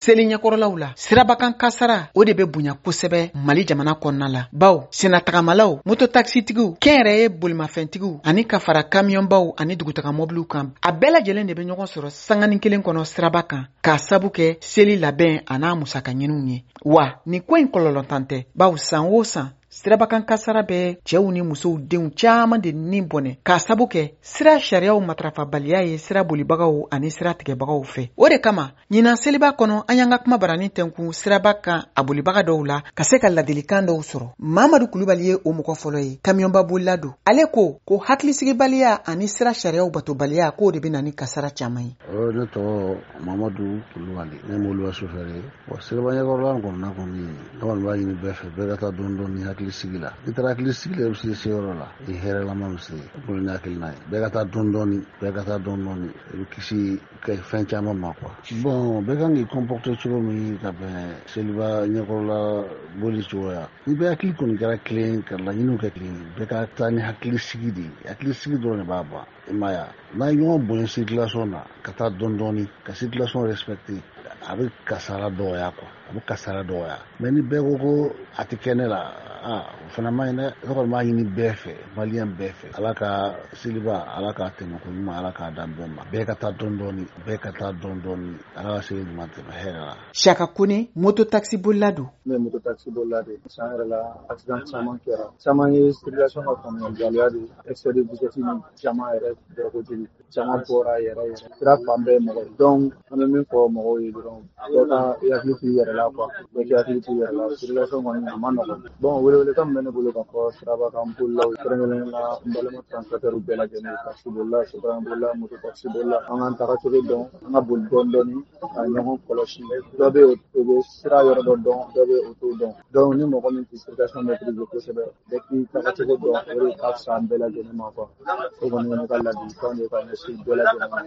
Seli ɲɛkɔrɔlaw la, sirabakan kasara o de bɛ bonya kosɛbɛ Mali jamana kɔnɔna la, bawo senatagamalaw, mototakisitigiw, kɛnyɛrɛye bolimafɛntigiw ani ka fara kamiyɔnbaw ani dugutaga mɔbiliw kan, a bɛɛ lajɛlen de bɛ ɲɔgɔn sɔrɔ sanganin kelen kɔnɔ siraba kan k'a sabu kɛ seli labɛn an'a musaka ɲiniw ye. Wa nin ko in kɔlɔlɔntan tɛ, bawo san o san sirabakan kasara bɛ cɛw ni musow denw caman de ni bɔnɛ k'a sabu kɛ sira sariyaw matarafabaliya ye sira bolibagaw ani sira tigɛbagaw fɛ. O de kama ɲinan seliba kɔnɔ, an y'an ka kuma barani tɛnkun siraba kan a bolibaga dɔw la ka se ka ladilikan dɔw sɔrɔ. Mamadu Kulubali ye o mɔgɔ fɔlɔ ye, kamiyɔnba bolila don. Ale ko ko hakilisigibaliya ani sira sariyaw batobaliya, k'o de bɛ na ni kasara caman ye. Ne tɔgɔ Mamadu Kulubali, ne ye mobiliba sofɛri ye. Wa siraba ɲɛkɔrɔla kɔnɔna kɔni, ne kɔni b'a ɲini bɛɛ fɛ, bɛɛ ka taa dɔɔni dɔɔni hakili sigi la. N'i taara hakili sigi la, i bɛ se se yɔrɔ la, i hɛrɛlama bɛ se. O kɔni ye hakilina ye. Bɛɛ ka taa dɔɔni dɔɔni, bɛɛ ka taa dɔɔni dɔɔni, i bɛ kisi ka fɛn caman ma quoi. Bon, bɛɛ kan k'i comporter cogo min ka bɛn seliba ɲɛkɔrɔla boli cogoya. Ni bɛɛ hakili kɔni kɛra kelen, ka laɲiniw kɛ kelen, bɛɛ ka taa ni hakili sigi de ye. Hakili sigi dɔrɔn de b'a ban. I m'a ye wa? N'a ye ɲɔgɔn bonya circulation na, ka taa dɔɔni dɔɔni, ka circulation respecter, a bɛ kasara dɔgɔya quoi. A bɛ kasara dɔgɔya. Mais ni bɛɛ ko ko a tɛ kɛ ne la, aa, o fana man ɲi dɛ. Ne kɔni b'a ɲini bɛɛ fɛ, maliyɛn bɛɛ fɛ, Ala ka seliba, Ala k'a tɛmɛ ko ɲuman, Ala k'a d'an bɛɛ ma. Bɛɛ ka taa dɔɔni dɔɔni, bɛɛ ka taa dɔɔni dɔɔni, Ala ka seli ɲuman tɛmɛ hɛrɛ la. Saka Kone, moto taxi bolila don. Ne ye moto taxi bolila de ye. San yɛrɛ la, accident caman kɛra. Caman ye circulation ka faamuyabaliya de ye. Excès de vitesse ni caman yɛrɛ bɛɛ kojugu. Caman bɔra yɛrɛ yɛrɛ. Sira fan bɛɛ ye mɔgɔ ye. Donc an bɛ min fɔ mɔgɔw ye dɔrɔn, bɛɛ ka i hakili to i yɛrɛ la quoi. Bɛɛ k'i hakili to i yɛrɛ la. Circulation kɔni a ma nɔgɔn. Bon, welewelekan min bɛ ne bolo ka fɔ siraba kan bolilaw, kɛrɛnkɛrɛnnenya la n balima transporteur bɛɛ lajɛlen, taxi bolila, sotraman bolila, moto taxi bolila, an k'an tagacogo dɔn, an ka boli dɔɔni dɔɔni, ka ɲɔgɔn kɔlɔsi. Dɔ bɛ yen, o bɛ sira yɔrɔ dɔ dɔn, dɔ bɛ yen, o t'o dɔn. Donc ni mɔgɔ min tɛ circulation maîtriser kosɛbɛ, bɛɛ k'i tagacogo dɔn, o de ka fisa an bɛɛ lajɛlen ma quoi. O kɔni ye ne ka ladilikan de ye ka ɲɛsin bɛɛ lajɛlen ma.